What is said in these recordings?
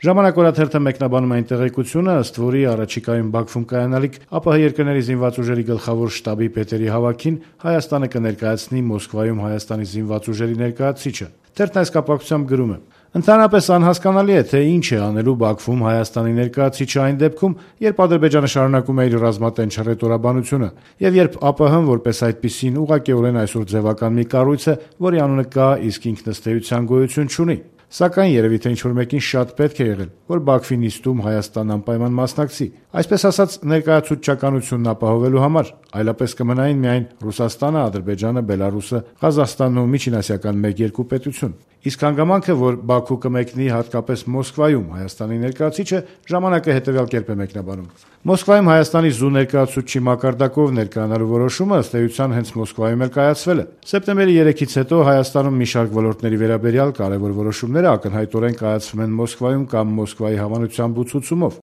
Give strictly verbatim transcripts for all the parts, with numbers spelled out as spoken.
Ժամանակ օրաթերթը մեկնաբանում է այն տեղեկությունը, ըստ որի առաջիկայում Բաքվում կայանալիք ԱՊՀ երկրների զինված ուժերի գլխավոր շտաբի պետերի հավաքին Հայաստանը կներկայացնի Մոսկվայում Հայաստանի զինված ուժերի ներկայացուցիչը։ Թերթն այս կապակցությամբ գրում է. Ընդհանրապես անհասկանալի է, թե ինչ է անելու Բաքվում Հայաստանի ներկայացուցիչը այն դեպքում, երբ Ադրբեջանը շարունակում է իր ռազմատենչ հռետորաբանությունը, եւ երբ ԱՊՀ-ն որպես այդպիսին ուղղակիորեն այսօր ձևական մի կառույց է, որի անունը կա, իսկ ինքն ըստ էության գոյություն չունի։ Սակայն երևի թե ինչ-որ մեկին շատ պետք է եղել, որ Բաքվի նիստում Հայաստանն անպայման մասնակցի, այսպես ասած ներկայացուցչականությունն ապահովելու համար, այլապես կմնային միայն Ռուսաստանը, Ադրբեջանը, Բելարուսը, Ղազախստանն ու միջինասիական մեկ-երկու պետություն։ Իսկ հանգամանքը, որ Բաքու կմեկնի հատկապես Մոսկվայում Հայաստանի ներկայացուցիչը, ժամանակը հետևյալ կերպ է մեկնաբանում. Մոսկվայում Հայաստանի զու ներկայացուցչի մակարդակով ներկայանալու որոշումը ըստ էության հենց Մոսկվայում էլ կայացվել է։ Սեպտեմբերի երեքից հետո Հայաստանում մի շարք ոլորտների վերաբերյալ կարևոր որոշումները ակնհայտորեն կայացվում են Մոսկվայում կամ Մոսկվայի հավանությամբ ու ցուցումով։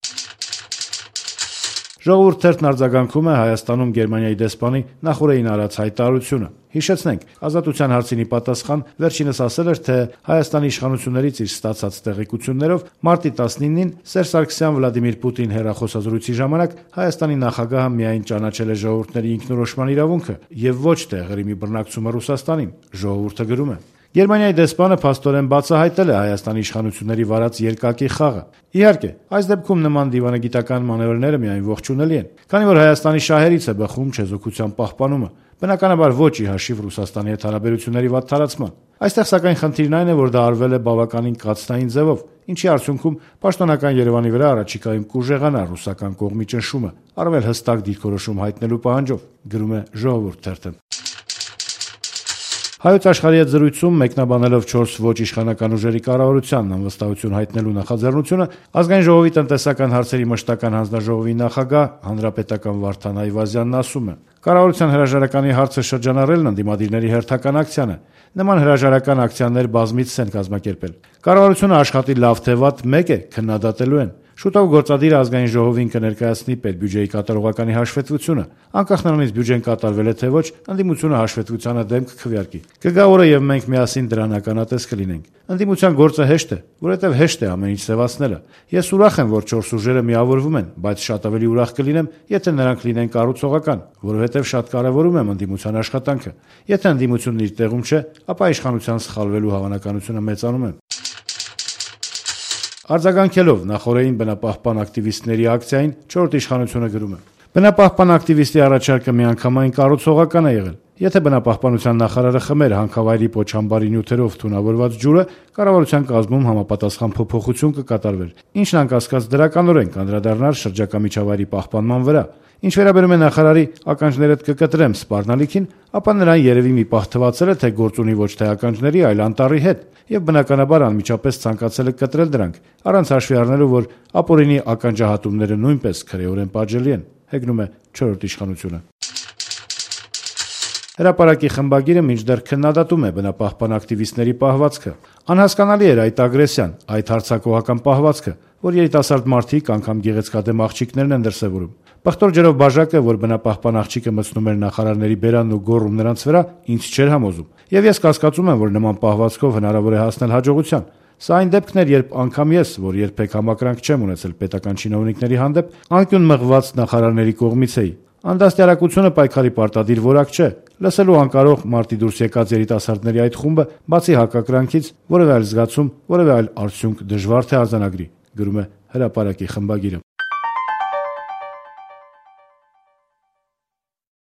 Ժողովուրդ թերթն արձագանքում է Հայաստանում Գերմանիայի դեսպանի նախորդին արած հայտարարությունը։ Հիշեցնենք, Ազատության հարցին ի պատասխան վերջինս ասել էր, թե Հայաստանի իշխանություններից իր ստացած տեղեկություններով մարտի տասնինին Սերժ Սարգսյան Վլադիմիր Պուտին հեռախոսազրույցի ժամանակ Հայաստանի նախագահը միայն ճանաչել է ժողովուրդների ինքնորոշման իրավունքը եւ ոչ թե Ղրիմի բռնակցումը Ռուսաստանին։ Ժողովուրդը գրում է. Գերմանիայի դեսպանը փաստորեն բացահայտել է Հայաստանի իշխանությունների վարած երկակի խաղը։ Իհարկե, այս դեպքում նման դիվանագիտական մանևրները միայն ողջունելի են, քանի որ Հայաստանի շահերից է բխում չեզոքության պահպանումը, բնականաբար ոչ ի հաշիվ Ռուսաստանի հետ հարաբերությունների վատթարացման։ Այստեղ սակայն խնդիրն այն է, որ դա արվել է բավականին կաթնային ձևով, ինչի արդյունքում պաշտոնական Երևանի վրա առաջիկայում կուժեղանա ռուսական կողմի ճնշումը, առավել հստակ դիրքորոշում հայտնելու պահանջով, գրում է Ժողովուրդ թերթը։ Հայոց աշխարհի հետ զրույցում մեկնաբանելով չորս ոչ իշխանական ուժերի կառավարությանն անվստահություն հայտնելու նախաձեռնությունը, Ազգային ժողովի տնտեսական հարցերի մշտական հանձնաժողովի նախագահ հանրապետական Վարդան Այվազյանն ասում է. Կառավարության հրաժարականի հարցը շրջանառելն ընդդիմադիրների հերթական ակցիան է։ Նման հրաժարական ակցիաներ բազմիցս են կազմակերպել։ Կառավարությունը աշխատի լավ թե վատ մեկ է, քննադատելու են։ Շուտով գործադիր Ազգային ժողովին կներկայացնի պետբյուջեի կատարողականի հաշվետվությունը։ Անկախ նրանից բյուջեն կատարվել է թե ոչ, ընդդիմությունը հաշվետվությանը դեմ կքվեարկի։ Կգա օրը եւ մենք միասին դրան ականատես կլինենք։ Ընդդիմության գործը հեշտ է, որովհետեւ հեշտ է ամեն ինչ սևացնելը։ Ես ուրախ եմ, որ չորս ուժերը միավորվում են, բայց շատ ավելի ուրախ կլինեմ, եթե նրանք լինեն կառուցողական, որովհետեւ շատ կարեւորում եմ ընդդիմության աշխատանքը։ Եթե ընդդիմությունն իր տեղում չէ, ապա իշխանության սխալվելու հավանականությունը մեծանում է։ Արձագանքելով նախորդին բնապահպան ակտիվիստների ակցիային, չորրորդ իշխանությունը գրում է. Բնապահպան ակտիվիստի առաջարկը միանգամայն կառուցողական է եղել։ Եթե բնապահպանության նախարարը խմեր հանքավայրի պոչամբարի նյութերով թունավորված ջուրը, կառավարության կազմում համապատասխան փոփոխություն կկատարվեր, ինչն անկասկած դրականորեն կանդրադառնար շրջակա միջավայրի պահպանման վրա։ Ինչ վերաբերում է նախարարի ականջներդ կկտրեմ սպառնալիքին, ապա նրան երևի մի պահ թվացել է, թե գործ ունի ոչ թե ականջների, այլ անտառի հետ, եւ բնականաբար անմիջապես ցանկացել է կտրել դրանք, առանց հաշվի առնելու, որ ապօրինի ականջահատումները նույնպես քրեորեն պատժելի են, հեգնում է չորրորդ իշխանությունը։ Հրապարակի խմբագիրը մինչդեռ քննադատում է բնապահպան ակտիվիստների պահվածքը։ Անհասկանալի էր այդ ագրեսիան, այդ հարձակողական պահվածքը, որ երիտասարդ մարդիկ, անգամ գեղեցկադեմ աղջիկներն են դրսևորում։ Պղտոր ջրով բաժակը, որ բնապահպան աղջիկը մտցնում էր նախարարների բերանն ու գոռում նրանց վրա, ինձ չէր համոզում։ Եվ ես կասկածում եմ, որ նման պահվածքով հնարավոր է հասնել հաջողության։ Սա այն դեպքն էր, երբ անգամ ես, որ երբեք համակրանք չեմ ունեցել պետական чиновникների հանդեպ, անկյուն մղված նախարարների կողմից էի։ Անդաստիարակությունը պայքարի պարտադիր որակ չէ։ Լսելու անկարող մարտի դուրս եկած երիտասարդների այդ խումբը, բացի հակակրանքից, որևէ այլ զգացում, որևէ այլ արդյունք դժվար թե արձանագրի, գրում է Հրապարակի խմբագիրը։